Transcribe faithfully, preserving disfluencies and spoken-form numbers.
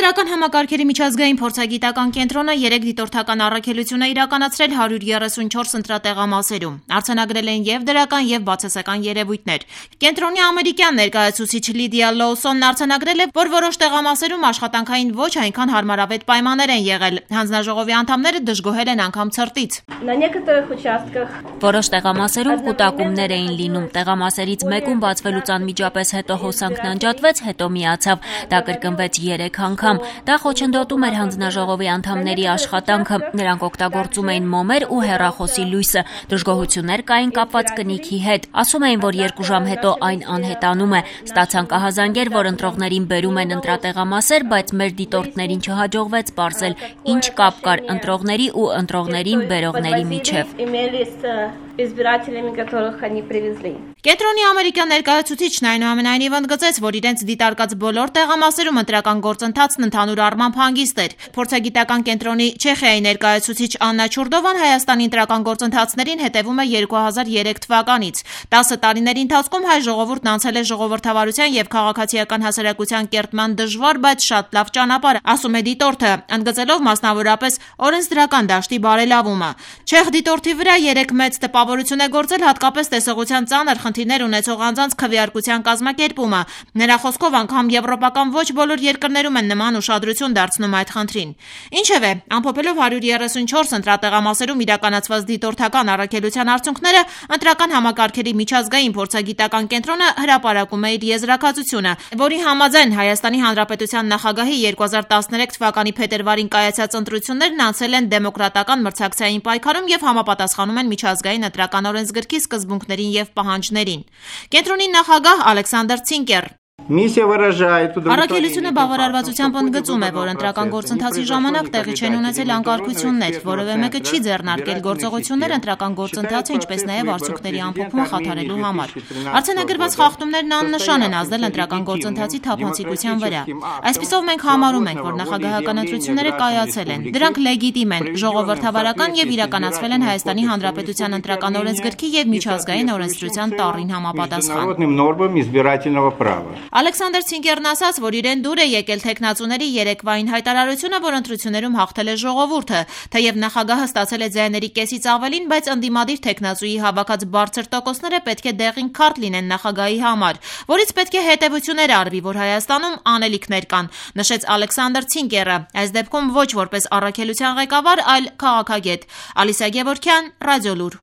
Ընտրական համակարգերի միջազգային փորձագիտական կենտրոնը երեք դիտորդական առաքելություն է իրականացրել հարյուր երեսունչորս ընտրատեղամասերում։ Արձանագրել են և դրական և բացասական երևույթներ։ Կենտրոնի ամերիկյան ներկայացուցիչ Լիդիա Լոուսոնն արձանագրել է, որ որոշ տեղամասերում աշխատանքային ոչ այնքան հարմարավետ պայմաններ են եղել։ Հանձնաժողովի անդամները դժգոհել են անգամ ցրտից։ Որոշ տեղամասերում կուտակումներ էին լինում։ Տեղամասերից մեկում բացվելուց անմիջապես հետո հոսանքն անջատվեց, հետո միացավ։ Դա կրկնվեց երեք անգամ։ Դա խոչընդոտում էր հանձնաժողովի անդամների աշխատանքը։ Նրանք օգտագործում էին մոմեր ու հեռախոսի լույսը։ Դժգոհություններ կային կապված կնիքի հետ։ Ասում էին, որ երկու ժամ հետո այն անհետանում է։ Ստացանք ահազանգեր, որ ընտրողներին բերում են ընտրատեղամասեր, բայց մեր դիտորդներին չհաջողվեց պարզել, ինչ կապ կար ընտրողների ու ընտրողներին բերողների միջև։ Կենտրոնի ամերիկյան ներկայացուցիչն այնուամենայնիվ ընդգծեց, որ իրենց դիտարկած բոլոր տեղամասերում ընտրական գործընթացն ընդհանուր առմամբ հանգիստ էր։ Փորձագիտական կենտրոնի Չեխիայի ներկայացուցիչ Աննա Չուրդովան Հայաստանի ընտրական գործընթացներին հետևում է երկու հազար երեք թվականից։ տասը տարիների ընթացքում հայ ժողովուրդն անցել է ժողովրդավարության և քաղաքացիական հասարակության կերտման դժվար, բայց շատ լավ ճանապարհ, ասում է դիտորդը, ընդգծելով մասնավորապես օրենսդրական դաշտի բարելավումը։ Չեխ դիտորդի վրա երեք մեծ տպավորություն է գործել հատկապես տեսողության ծանր խնդիրներ ունեցող անձանց քվեարկության կազմակերպումը։ Նրա խոսքով անգամ եվրոպական ոչ բոլոր երկրներում են նման ուշադրություն դարձնում այդ խնդրին։ Ինչևէ, ամփոփելով հարյուր երեսունչորս ընտրատեղամասերում իրականացված դիտորդական առաքելության արդյունքները, ընտրական համակարգերի միջազգային փորձագիտական կենտրոնը հրապարակում է իր եզրակացությունը, որի համաձայն Հայաստանի Հանրապետության նախագահի երկու հազար տասներեք թվականի փետրվարին կայացած ընտրություններն անցել են դեմոկրատական մրցակցային պայքարում և համապատասխանում են միջազգային ընտրական օրենսգրքի սկզբունքներին և պահանջներին։ Կենտրոնի նախագահ Ալեքսանդր Ցինկեր Առաքելությունը բավարարվածությամբ ընդգծում է, որ ընտրական գործընթացի ժամանակ տեղի չեն ունեցել անկարգություններ, որևէ մեկը չի ձեռնարկել գործողություններ ընտրական գործընթացը, ինչպես նաև արդյունքների ամփոփումը խաթարելու համար։ Արձանագրված խախտումներն աննշան են ազդել ընտրական գործընթացի թափանցիկության վրա։ Այսպիսով մենք համարում ենք, որ նախագահական ընտրությունները կայացել են։ Դրանք լեգիտիմ են, ժողովրդավարական և իրականացվել են Հայաստանի Հանրապետության ընտրական օրենսգրքի և միջազգային օրենսդրության տառին համապատասխան։ Ալեքսանդր Ցինկերն ասաց, որ իրեն դուր է եկել թեկնածուների երեկվային հայտարարությունը, որ ընտրություններում հաղթել է ժողովուրդը, թեև նախագահը ստացել է ձայների կեսից ավելին, բայց ընդդիմադիր թեկնածուի հավաքած բարձր տոկոսները պետք է դեղին քարտ լինեն նախագահի համար, որից պետք է հետևություններ արվի, որ Հայաստանում անելիքներ կան, նշեց Ալեքսանդր Ցինկերը, այս դեպքում ոչ որպես առաքելության ղեկավար, այլ քաղաքագետ։ Ալիսա Գևորգյան, Ռադիոլուր։